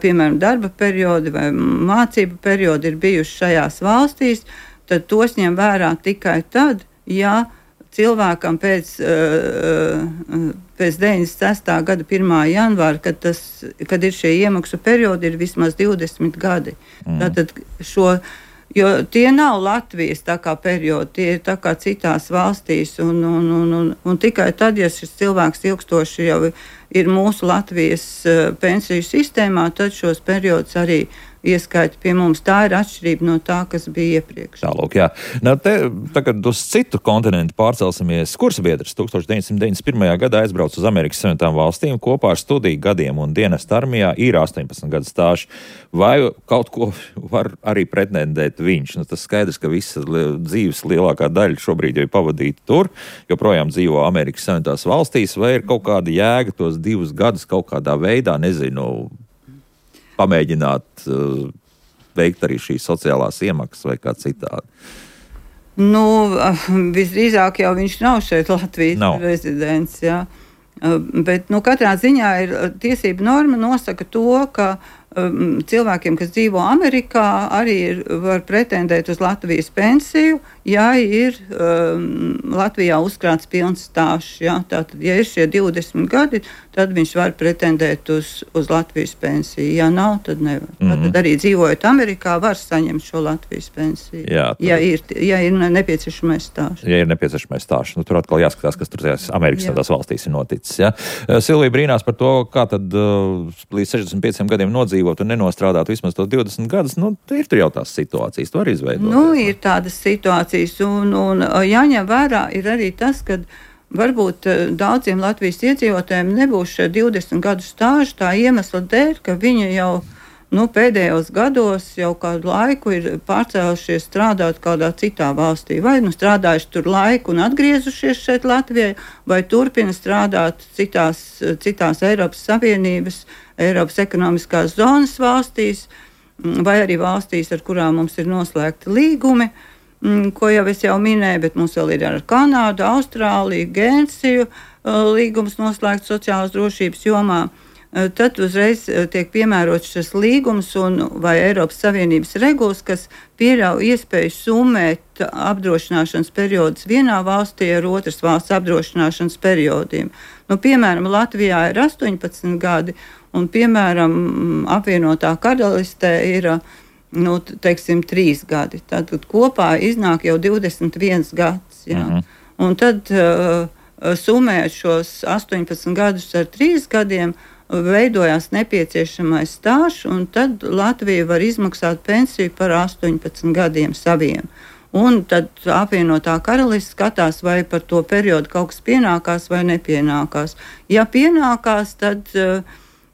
piemēram, darba periodi vai mācību periodi ir bijuši šajās valstīs, tad tos ņem vērā tikai tad, ja cilvēkam pēc 96. gada 1. janvāra, kad ir šie iemaksu periodi, ir vismaz 20 gadi. Tātad šo Jo tie nav Latvijas tā kā periodi, tie ir tā kā citās valstīs, un tikai tad, ja šis cilvēks ilgstoši jau ir mūsu Latvijas pensiju sistēmā, tad šos periodus arī ieskaita pie mums. Tā ir atšķirība no tā, kas bija iepriekš. Tālūk, jā. Tagad uz citu kontinentu pārcelsimies. Kursbiedrs 1991. gadā aizbrauc uz Amerikas Savienotām valstīm kopā ar studiju gadiem un dienesta armijā ir 18 gadu stāžu. Vai kaut ko var arī pretendēt viņš? Tas skaidrs, ka visa dzīves lielākā daļa šobrīd jau ir pavadīta tur, joprojām dzīvo Amerikas Savienotās valstīs, vai ir kaut kāda jēga tos 2 gadus kaut kādā veidā, nezinu, pamēģināt veikt arī šīs sociālās iemaksas vai kā citādi? Visdrīzāk jau viņš nav šeit Latvijas rezidents, jā. Bet, katrā ziņā ir tiesība norma nosaka to, ka cilvēkiem, kas dzīvo Amerikā, arī var pretendēt uz Latvijas pensiju, ja ir Latvijā uzkrāts pilns stāžs. Ja? Tātad, ja ir šie 20 gadi, tad viņš var pretendēt uz Latvijas pensiju. Ja nav, tad nevar. Tad arī dzīvojot Amerikā, var saņemt šo Latvijas pensiju, ja ir nepieciešamais stāžs. Ja ir nepieciešamais stāžs. Tur atkal jāskatās, kas tur Amerikas tādās valstīs ir noticis. Ja? Silvija brīnās par to, kā tad līdz 65 gadiem nodzīvot un nenostrādāt vismaz tos 20 gadus, ir tur jau tās situācijas, tu vari izveidot. Ir tādas situācijas, un jāņem vērā ir arī tas, ka varbūt daudziem Latvijas iedzīvotājiem nebūs šie 20 gadu stāži tā iemesla dēļ, ka viņi jau pēdējos gados jau kādu laiku ir pārcēlušies strādāt kādā citā valstī, vai strādājuši tur laiku un atgriezušies šeit Latvijai, vai turpina strādāt citās Eiropas Savienības, Eiropas ekonomiskās zonas valstīs, vai arī valstīs, ar kurām mums ir noslēgti līgumi, ko jau es minēju, bet mums vēl ir ar Kanādu, Austrāliju, Gēnsiju līgums noslēgts sociālās drošības jomā. Tad uzreiz tiek piemērots šis līgums vai Eiropas Savienības regulas, kas pieļauj iespēju summēt apdrošināšanas periodus vienā valstī ar otras valsts apdrošināšanas periodiem. Piemēram, Latvijā ir 18 gadi, un, piemēram, apvienotā karalistē ir 3 gadi. Tad kopā iznāk jau 21 gads. Jā. Un tad summēt šos 18 gadus ar 3 gadiem, veidojās nepieciešamais stāžs, un tad Latvija var izmaksāt pensiju par 18 gadiem saviem. Un tad apvienotā karalists skatās, vai par to periodu kaut kas pienākās vai nepienākās. Ja pienākās, tad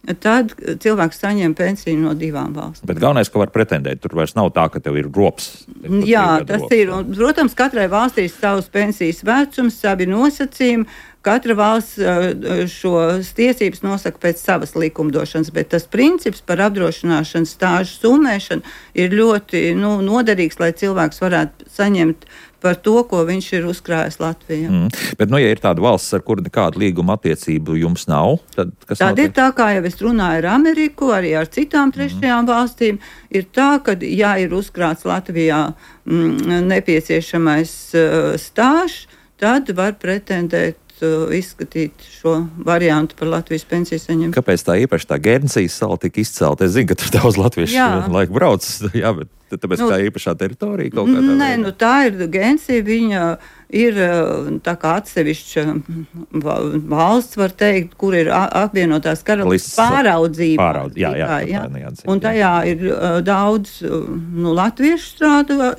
cilvēks saņem pensiju no 2 valstīm. Bet galvenais, ka var pretendēt, tur vairs nav tā, ka tev ir rops. Jā, tas ir. Un, protams, katrai valstī ir savs pensijas vecums, savi nosacījumi. Katra valsts šos tiesības nosaka pēc savas likumdošanas, bet tas princips par apdrošināšanas stāžu summēšanu ir ļoti noderīgs, lai cilvēks varētu saņemt par to, ko viņš ir uzkrājis Latvijā. Bet, ja ir tāda valsts, ar kuru nekādu līguma attiecību jums nav, tad kas notiek? Tad ir tā, kā jau es runāju ar Ameriku, arī ar citām trešajām valstīm, ir tā, ka, ja ir uzkrāts Latvijā nepieciešamais stāžs, tad var pretendēt izskatīt šo variantu par Latvijas pensiju saņemšanu. Kāpēc tā īpaši tā Guernsijas sala tika izcelta? Es zinu, ka tur daudz latviešu laiku brauc, bet tāpēc tā īpašā teritorija kaut kādā veidā? Nē, tā ir Guernsija, viņa ir tā kā atsevišķa valsts, var teikt, kur ir apvienotās karalistes pāraudzība. Un tajā ir daudz latviešu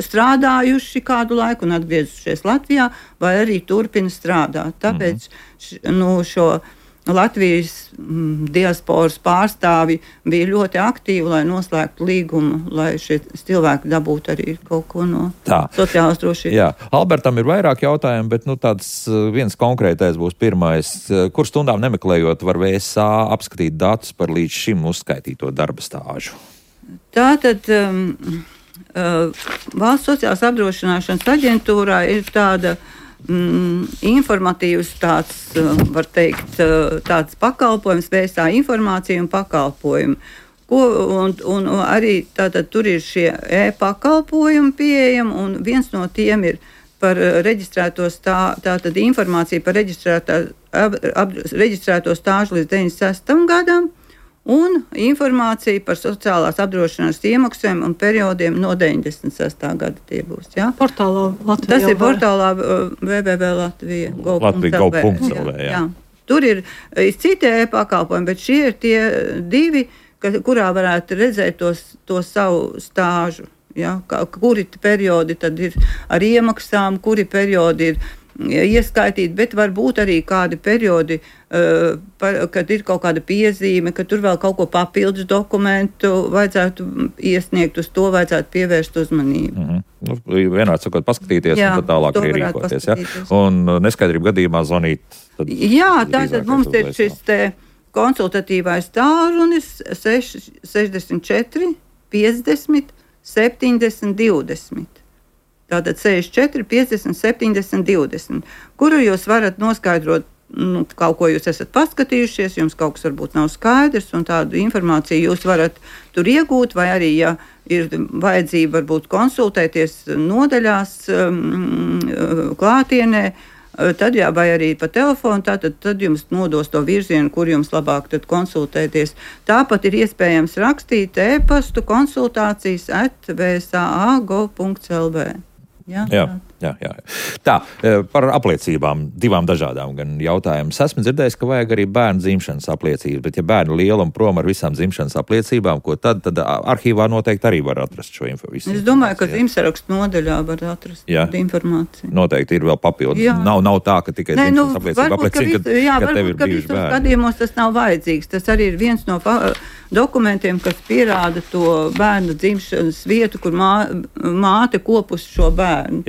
strādājuši kādu laiku un atgriezušies Latvijā, vai arī turpina strādāt. Tāpēc šo Latvijas diasporas pārstāvi bija ļoti aktīvi, lai noslēgtu līgumu, lai šie cilvēki dabūtu arī kaut ko no sociālās drošības. Jā, Albertam ir vairāk jautājumu, bet tāds viens konkrētais būs pirmais. Kur stundām nemeklējot var VSA apskatīt datus par līdz šim uzskaitīto darba stāžu? Tātad Valsts sociālās apdrošināšanas aģentūrā ir tāda informatīvs tāds, var teikt, tāds pakalpojums, VSA informācija un pakalpojumi. Un arī tātad tur ir šie e-pakalpojumi pieejami, un viens no tiem ir par tātad informācija par reģistrēto stāžu līdz 96. gadam, un informācija par sociālās apdrošināšanas iemaksām un periodiem no 96. gada tie būs. Ja? Portālā Latvijā. Tas ir portālā www.latvija.gov.lv. Jā. Tur ir citi e-pakalpojumi, bet šie ir tie divi, kurā varētu redzēt to savu stāžu. Ja? Kuri periodi tad ir ar iemaksām, kuri periodi ir ieskaitīti, bet varbūt arī kādi periodi, kad ir kaut kāda piezīme, ka tur vēl kaut ko papildus dokumentu vajadzētu iesniegt, uz to vajadzētu pievērst uzmanību. Vienādi sakot, paskatīties un tad tālāk arī rīkoties. Ja? Un neskaidrību gadījumā zvanīt. Jā, tātad mums ir šis te konsultatīvais tālrunis 64 50 70 20. Tātad 64, 50, 70, 20, kuru jūs varat noskaidrot, kaut ko jūs esat paskatījušies, jums kaut kas varbūt nav skaidrs, un tādu informāciju jūs varat tur iegūt, vai arī, ja ir vajadzība varbūt konsultēties nodaļās klātienē, tad jā, vai arī pa telefonu, tad jums nodos to virzienu, kur jums labāk tad konsultēties. Tāpat ir iespējams rakstīt e-pastu konsultācijas@vsa.gov.lv. Jā. Tā, par apliecībām, divām dažādām gan jautājums. Esmu dzirdējis, ka vajag arī bērnu dzimšanas apliecības, bet ja bērni liela un prom ar visām dzimšanas apliecībām, ko tad arhīvā noteikti arī var atrast šo informāciju. Es domāju, ka dzimšanas nodaļā var atrast informāciju. Noteikti ir vēl papildus. Nav tā, ka tikai dzimšanas apliecība apliecina, ka tev ir bijuši bērni. Gadījumos tas nav vajadzīgs. Tas arī ir viens no dokumentiem, kas pierāda to bērnu dzimšanas vietu, kur māte kopus šo bērnu.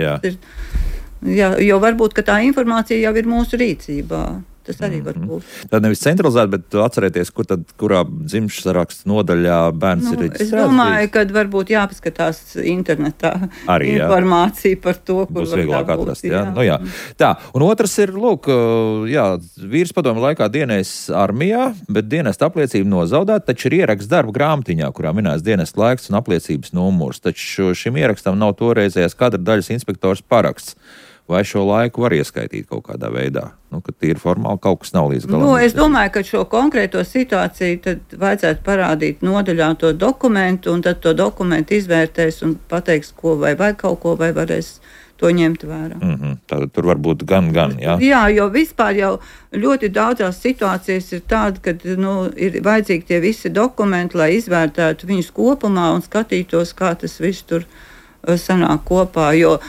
Jo varbūt, ka tā informācija jau ir mūsu rīcībā. Tas arī var būt. Tad nevis centralizēt, bet atcerēties, kurā dzimšanas saraksta nodaļā bērns ir reģistrēts. Es domāju, ka varbūt jāpaskatās internetā arī, informācija par to, kur būs vieglāk atrast. Jā. Tā, un otrs ir, vīrs padomju laikā dienējis armijā, bet dienesta apliecība nozaudēta, taču ir ieraksts darba grāmatiņā, kurā minēts dienesta laiks un apliecības numurs. Taču šim ierakstam nav toreizējais kadra daļas inspektors paraksts. Vai šo laiku var ieskaitīt kaut kādā veidā? Ka tīri formāli kaut kas nav līdz galam. Es domāju, ka šo konkrēto situāciju tad vajadzētu parādīt nodaļā to dokumentu, un tad to dokumentu izvērtēs un pateiks, ko vai kaut ko, vai varēs to ņemt vērā. Tātad tur var būt gan, jā? Jā, jo vispār jau ļoti daudzās situācijas ir tāda, kad ir vajadzīgi tie visi dokumenti, lai izvērtētu viņus kopumā un skatītos, kā tas viss tur sanāk kopā, jo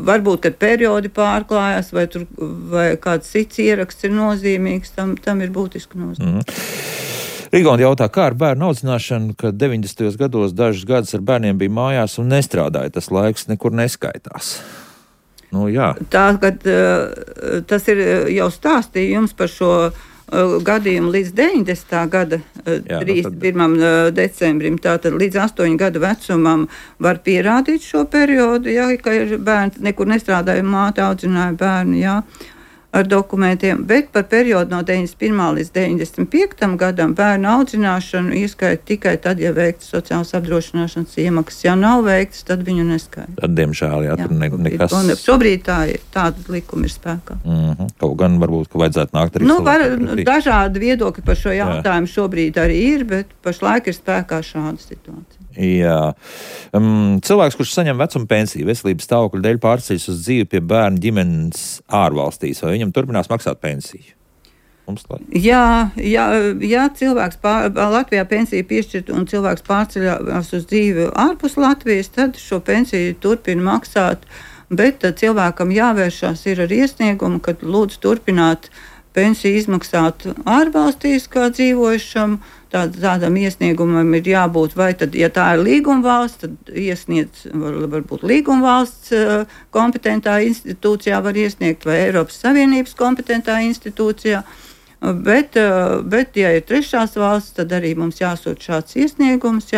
varbūt, kad periodi pārklājas vai kāds cits ieraksts ir nozīmīgs, tam ir būtiski nozīme. Rigonda jautā, kā ar bērnu audzināšanu, kad 90. gados dažus gadus ar bērniem bija mājās un nestrādāja, tas laiks nekur neskaitās. Tā, kad tas ir jau stāstījums par šo gadījumu līdz 90. gada 31. decembrim, tātad līdz 8 gadu vecumam var pierādīt šo periodu, ka ir bērns, nekur nestrādāja, māte audzināja bērnu, ar dokumentiem, bet par periodu no 91. līdz 95. gadam bērnu audzināšanu ieskaita tikai tad, ja veikts sociālās apdrošināšanas iemaksas. Ja nav veikts, tad viņu neskaita. Tad, diemžēl, tur nekas. Šobrīd tāda likuma ir spēkā. Kaut gan varbūt, ka vajadzētu nākt arī dažādi viedokļi par šo jautājumu šobrīd arī ir, bet pašlaik ir spēkā šāda situācija. Jā. Cilvēks, kurš saņem vecuma pensiju, veselības stāvokļa dēļ pārceļas uz dzīvi pie bērnu ģimenes ārvalstīs, vai viņam turpinās maksāt pensiju? Jā, cilvēks Latvijā pensiju piešķirt un cilvēks pārceļās uz dzīvi ārpus Latvijas, tad šo pensiju turpina maksāt, bet cilvēkam jāvēršās ir ar iesniegumu, kad lūdzu turpināt pensiju izmaksāt ārvalstīs kā dzīvojušam. Tādam iesniegumam ir jābūt, vai tad, ja tā ir līgumvalsts, tad iesniedz varbūt līgumvalsts kompetentā institūcijā var iesniegt, vai Eiropas Savienības kompetentā institūcijā, bet ja ir trešās valsts, tad arī mums jāsūt šāds iesniegums,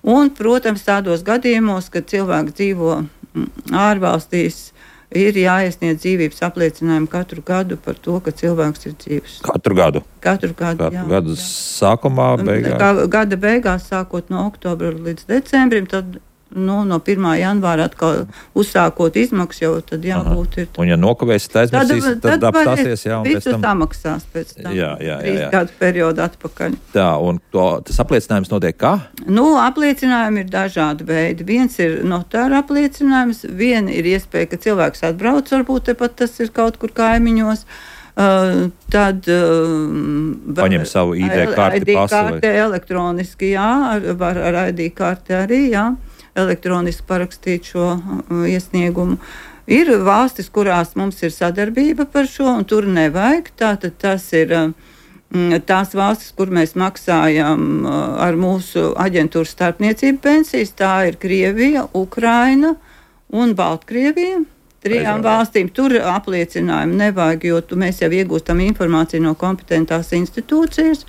un, protams, tādos gadījumos, kad cilvēks dzīvo ārvalstīs, ir jāiesniedz dzīvības apliecinājumu katru gadu par to, ka cilvēks ir dzīves. Katru gadu? Katru sākumā, beigās? Gada beigās, sākot no oktobra līdz decembrim, tad no 1. janvāra atkal uzsākot izmaksas, jau tad jābūt ir. Un ja nokavēsiet, aizmirsīs, tad apstāsies, jā, un pēc tam samaksās pēc tam. Jā. 3 gadu periodu atpakaļ. Tā, un tas apliecinājums notiek kā? Apliecinājumi ir dažādi veidi. Viens ir notāra apliecinājums, viena ir iespēja, ka cilvēks atbrauc, varbūt tepat tas ir kaut kur kaimiņos. Tad paņem savu ID karti, pasu elektroniski, var ar ID karti arī, elektroniski parakstīt šo iesniegumu. Ir valstis, kurās mums ir sadarbība par šo, un tur nevajag. Tātad tas ir tās valstis, kur mēs maksājam ar mūsu aģentūras starpniecību pensijas. Tā ir Krievija, Ukraina un Baltkrievija. 3 valstīm tur apliecinājumu nevajag, jo mēs jau iegūstam informāciju no kompetentās institūcijas.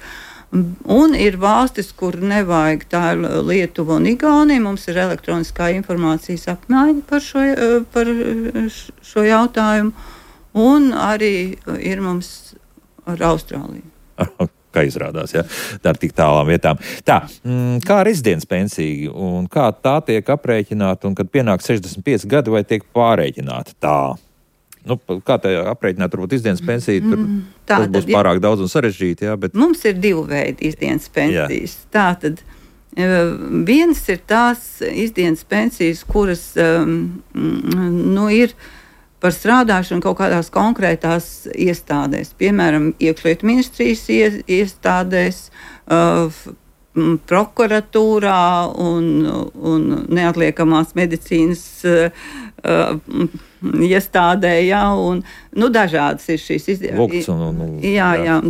Un ir valstis, kur nevajag, tā ir Lietuva un Igaunija. Mums ir elektroniskā informācijas apmaiņa par šo jautājumu. Un arī ir mums ar Austrāliju. Kā izrādās, tā ir tik tālām vietām. Tā, kā rezidents pensija un kā tā tiek aprēķināta un kad pienāk 65 gadi vai tiek pārēķināta tā? Kā tā aprēķināt, varbūt izdienas pensija, tas būs pārāk daudz un sarežģīti, bet... Mums ir 2 veidi izdienas pensijas. Tātad, viens ir tās izdienas pensijas, kuras, ir par strādāšanu kaut kādās konkrētās iestādēs, piemēram, iekšlietu ministrijas iestādēs, prokuratūrā un neatliekamās medicīnas iestādē, un dažādas ir šīs izdienas.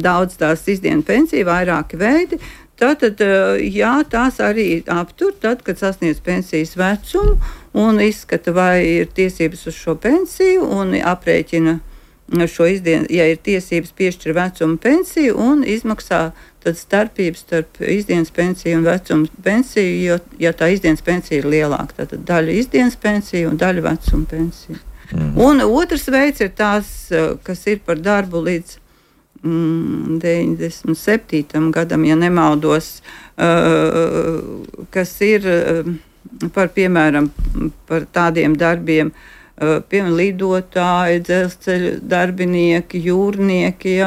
Daudz tās izdienas pensija, vairāki veidi. Tātad, tās arī aptur, tad, kad sasniedz pensijas vecumu un izskata, vai ir tiesības uz šo pensiju un aprēķina šo izdienu, ja ir tiesības piešķir vecuma pensiju un izmaksā tad starpības starp izdienas pensiju un vecuma pensiju, ja tā izdienas pensija ir lielāka. Tātad daļa izdienas pensija un daļa vecuma pensija. Un otrs veids ir tās, kas ir par darbu līdz 97. gadam, ja nemaldos, kas ir piemēram, par tādiem darbiem, piemēram, lidotāji, dzelzceļa darbinieki, jūrnieki,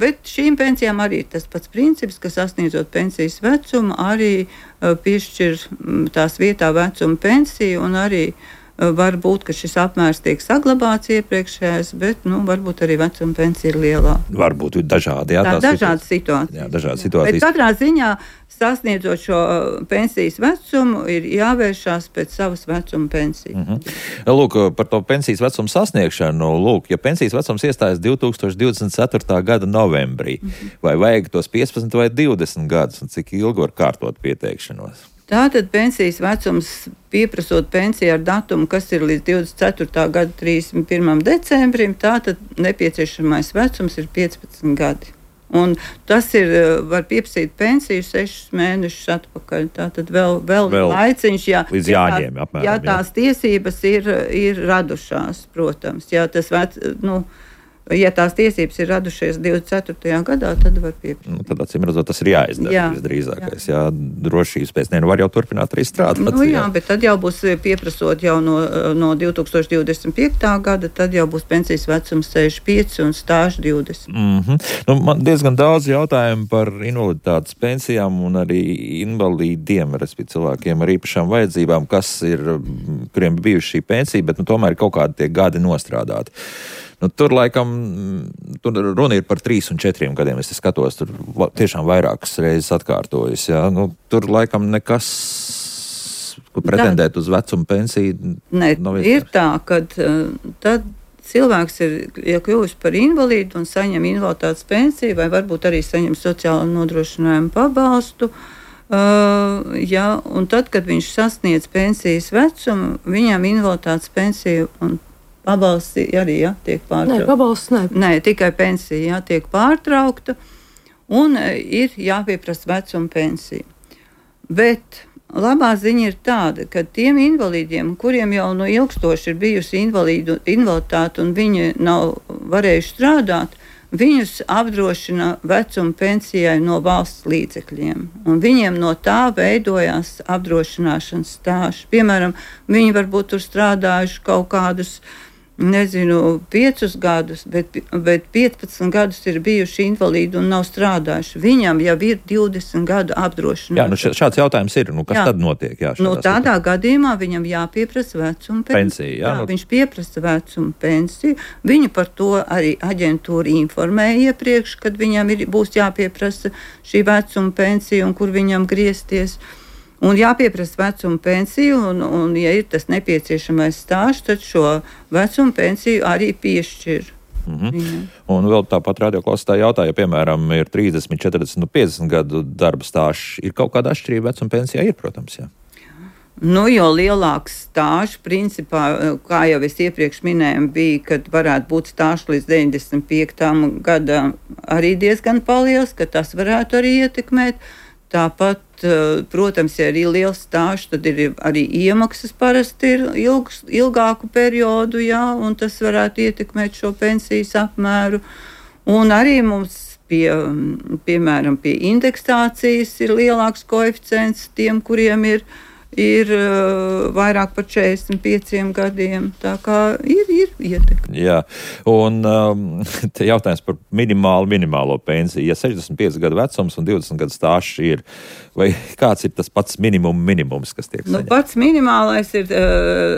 bet šīm pensijām arī ir tas pats princips, ka sasniedzot pensijas vecumu, arī piešķir tās vietā vecuma pensiju un arī var būt, ka šis apmērs tiek saglabāts iepriekšējais, bet varbūt arī vecuma pensija ir lielāka. Varbūt dažādi, dažādas situācijas. Dažādas Bet situācijas. katrā ziņā sasniedzot šo pensijas vecumu ir jāvēršās pēc savas vecuma pensijas. Lūk, par to pensijas vecumu sasniegšanu, ja pensijas vecums iestājas 2024. gada novembrī, vai vajag tos 15 vai 20 gadus, un cik ilgi var kārtot pieteikšanos? Tātad pensijas vecums, pieprasot pensiju ar datumu, kas ir līdz 24. gada 31. decembrim, tātad nepieciešamais vecums ir 15 gadi. Un tas ir, var pieprasīt pensiju 6 mēnešus atpakaļ. Tātad vēl laiciņš, līdz jāņem, apmēram, ja tās tiesības ir radušās, protams. Ja tās tiesības ir radušies 24. gadā, tad var pieprasīt. Tad acīm redzot, tas ir jāizdara visdrīzākais. Drošības pēc var jau turpināt arī strādāt. Bet tad jau būs pieprasot jau no 2025. gada, tad jau būs pensijas vecums 65 un stāžu 20. Man diezgan daudz jautājumu par invaliditātes pensijām un arī invalīdiem, respektīvi cilvēkiem ar īpašām vajadzībām, kuriem bijuši šī pensija, bet tomēr ir kaut kādi tie gadi nostrādāti. Tur laikam runa ir par 3 un 4 gadiem. Es skatos, tur tiešām vairākas reizes atkārtojas. Tur laikam nekas, kur pretendēt uz vecuma pensiju. Ir tā, ka tad cilvēks ir kļuvis par invalīdu un saņem invaliditātes pensiju vai varbūt arī saņem sociālo nodrošinājumu pabalstu. Un tad, kad viņš sasniedz pensijas vecumu, viņam invaliditātes pensija un pabalsts arī tiek pārtraukta. Nē, pabalsts ne. Nē, tikai pensija tiek pārtraukta un ir jāpieprasa vecuma pensija. Bet labā ziņa ir tāda, ka tiem invalīdiem, kuriem jau ilgstoši ir bijusi invaliditāte un viņi nav varējuši strādāt, viņus apdrošina vecuma pensijai no valsts līdzekļiem, un viņiem no tā veidojās apdrošināšanas stāsts. Piemēram, viņi varbūt tur strādājuši kaut kādus, 5 gadus, bet 15 gadus ir bijuši invalīdi un nav strādājuši. Viņam jau ir 20 gadu apdrošināšana. Jā, šāds jautājums ir. Kas tad notiek? Jā, tādā gadījumā viņam jāpieprasa vecuma pensija. Viņš pieprasa vecuma pensiju. Viņu par to arī aģentūra informēja iepriekš, kad viņam būs jāpieprasa šī vecuma pensija un kur viņam griezties. Un jāpieprasa vecuma pensiju, un ja ir tas nepieciešamais stāsts, tad šo vecuma pensiju arī piešķir. Un vēl tāpat radioklausītāji jautāja, ja, piemēram, ir 30, 40, 50 gadu darba stāsts, ir kaut kāda atšķirība vecuma pensijā? Ir, protams, jā. Jo lielāks stāsts, principā, kā jau es iepriekš minēju, bija, kad varētu būt stāsts līdz 95. gadam arī diezgan paliels, ka tas varētu arī ietekmēt. Tāpat, protams, ja ir liels stāsts, tad ir arī iemaksas parasti ir ilgāku periodu, un tas varētu ietekmēt šo pensijas apmēru. Un arī mums piemēram, pie indeksācijas ir lielāks koeficients tiem, kuriem ir vairāk par 45 gadiem. Tā kā ir ietekme. Jā, un te jautājums par minimālo pensiju. Ja 65 gadu vecums un 20 gadu stāsts ir, vai kāds ir tas pats minimums, kas tiek saņemts? Pats minimālais ir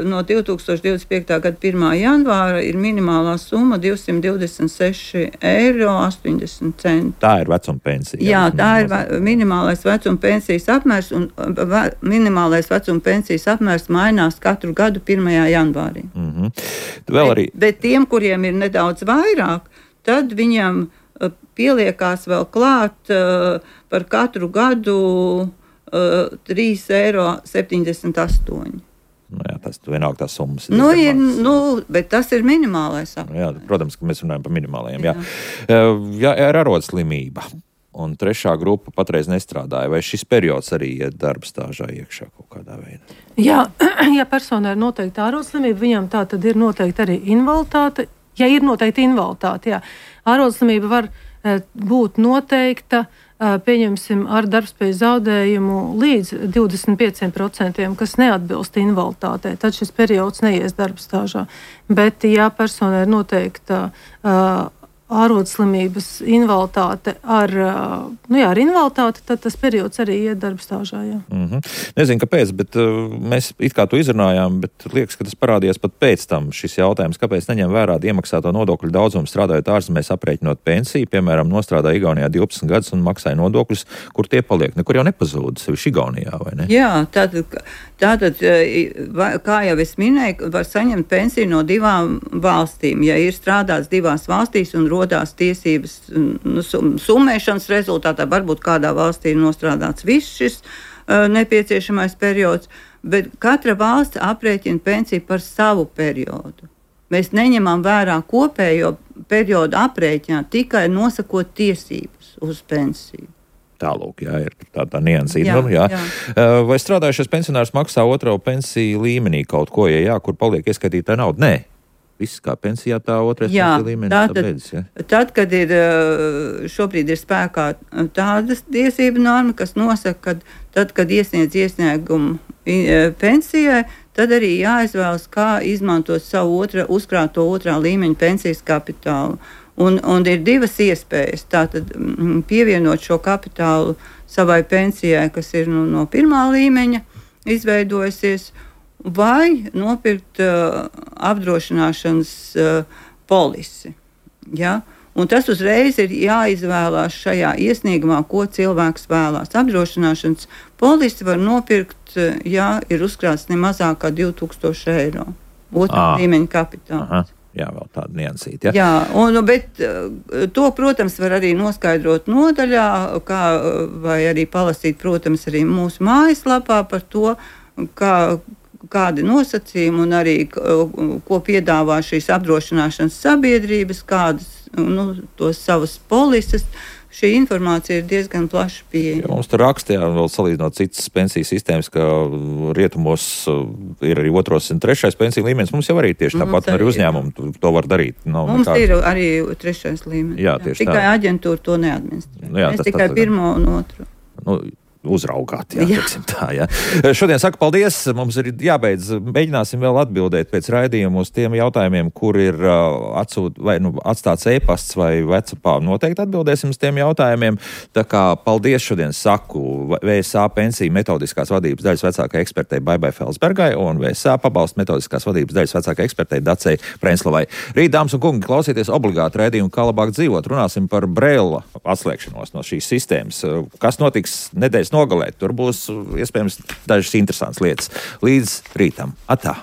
no 2025. gada 1. janvāra ir minimālā summa 226,80 €. Tā ir vecuma pensija. Jā, tā ir minimālais vecuma pensijas apmērs, un minimālais vecuma pensijas apmērs mainās katru gadu 1. janvārī. Vēl arī... Bet tiem, kuriem ir nedaudz vairāk, tad viņam pieliekās vēl klāt par katru gadu 3,78 €. Jā, tas vienalga tās summas. Bet tas ir minimālais apmērs. Jā, protams, ka mēs runājam par minimālajiem. Jā, ir arodslimība. Un 3. grupa patreiz nestrādāja. Vai šis periods arī iet darba stāžā iekšā kaut kādā veidā? Jā, ja personai ir noteikti ārodslimība, viņam tā tad ir noteikti arī invaliditāte. Ja ir noteikti invaliditāte, jā. Ārodslimība var būt noteikta, pieņemsim, ar darbspējas zaudējumu līdz 25%, kas neatbilst invaliditātei. Tad šis periods neies darba stāžā. Bet, ja personai ir noteikta ārodslimības invaliditāte ar invaliditāti, tad tas periods arī iet darba stāžā. Jā. Nezinu, kāpēc, bet mēs it kā to izrunājām, bet liekas, ka tas parādījās pat pēc tam šis jautājums, kāpēc neņem vērā iemaksāto nodokļu daudzumu strādājot ārzemēs aprēķinot pensiju, piemēram, nostrādāja Igaunijā 12 gadus un maksāja nodokļus, kur tie paliek, nekur jau nepazūd, sevišķi Igaunijā, vai ne? Jā, tātad, kā jau es minēju, var saņemt pensiju no 2 valstīm. Ja ir strādāts 2 valstīs un rodās tiesības summēšanas rezultātā, varbūt kādā valstī ir nostrādāts viss šis nepieciešamais periods, bet katra valsts aprēķina pensiju par savu periodu. Mēs neņemam vērā kopējo periodu aprēķinā, tikai nosakot tiesības uz pensiju. Tālūk, jā, ir tā niansīta. Jā. Vai strādājušais pensionārs maksā 2. pensiju līmenī kaut ko, ja jā, kur paliek ieskaitītā nauda? Nē. Viss kā pensijā, tā 2. pensiju līmenis. Tad, kad šobrīd ir spēkā tādas tiesība norma, kas nosaka, ka tad, kad iesniedz iesniegumu pensijai, tad arī jāizvēlas, kā izmantot savu uzkrāto 2. līmeņa pensijas kapitālu. Un ir 2 iespējas. Tātad pievienot šo kapitālu savai pensijai, kas ir no 1. līmeņa izveidojusies, vai nopirkt apdrošināšanas polisi. Ja? Un tas uzreiz ir jāizvēlās šajā iesniegumā, ko cilvēks vēlās. Apdrošināšanas polisi var nopirkt, ja ir uzkrāts ne mazāk kā 2,000 €. 2. līmeņa kapitāls. Jā, vēl tāda niansīta. Jā, bet to, protams, var arī noskaidrot nodaļā, vai arī palasīt, protams, arī mūsu mājaslapā par to, kādi nosacījumi un arī ko piedāvā šīs apdrošināšanas sabiedrības, kādas tos savas polises šī informācija ir diezgan plaši pieejama. Ja mums tur rakstījā, vēl salīdzinot citas pensiju sistēmas, ka rietumos ir arī 2. un 3. pensiju līmenis. Mums jau arī tieši tāpat arī uzņēmumi to var darīt. Mums ir arī 3. līmenis. Jā, tieši tikai tā. Aģentūra to neadministrē. Jā, mēs tikai 1. un 2. Uzraugāt, teiksim tā, jā. Šodien saku paldies, mums ir jābeidz, mēģināsim vēl atbildēt pēc raidījuma uz tiem jautājumiem, kur ir atstāts e-pasts vai WhatsAppā. Noteikti atbildēsim uz tiem jautājumiem, tā kā paldies šodien saku VSA pensiju metodiskās vadības daļas vecākai ekspertei Baibai Felsbergai un VSA pabalstu metodiskās vadības daļas vecākai ekspertei Dacei Prenslavai. Rīt, dāmas un kungi, klausieties obligāti raidījumu Kā labāk dzīvot. Runāsim par Braila atslēgšanos no šīs sistēmas. Kas notiks nedēļas nogalē? Tur būs iespējams dažas interesantas lietas. Līdz rītam. Atā!